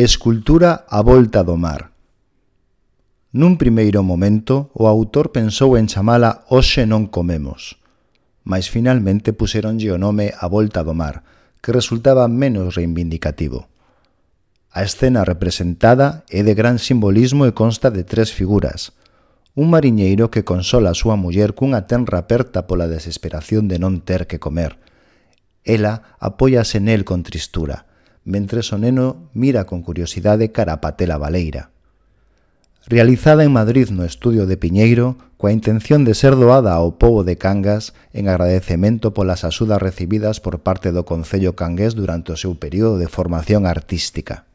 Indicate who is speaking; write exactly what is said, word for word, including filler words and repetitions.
Speaker 1: Escultura á volta do mar. Nun primeiro momento, o autor pensou en chamala Hoxe non comemos, mas finalmente puseronlle o nome A volta do mar, que resultaba menos reivindicativo. A escena representada é de gran simbolismo e consta de tres figuras. Un mariñeiro que consola a súa muller cunha tenra aperta pola desesperación de non ter que comer. Ela apóiase nel con tristura, mentres o neno mira con curiosidade cara a patela baleira. Realizada en Madrid no estudio de Piñeiro, coa intención de ser doada ao pobo de Cangas en agradecemento polas axudas recibidas por parte do Concello cangués durante o seu período de formación artística.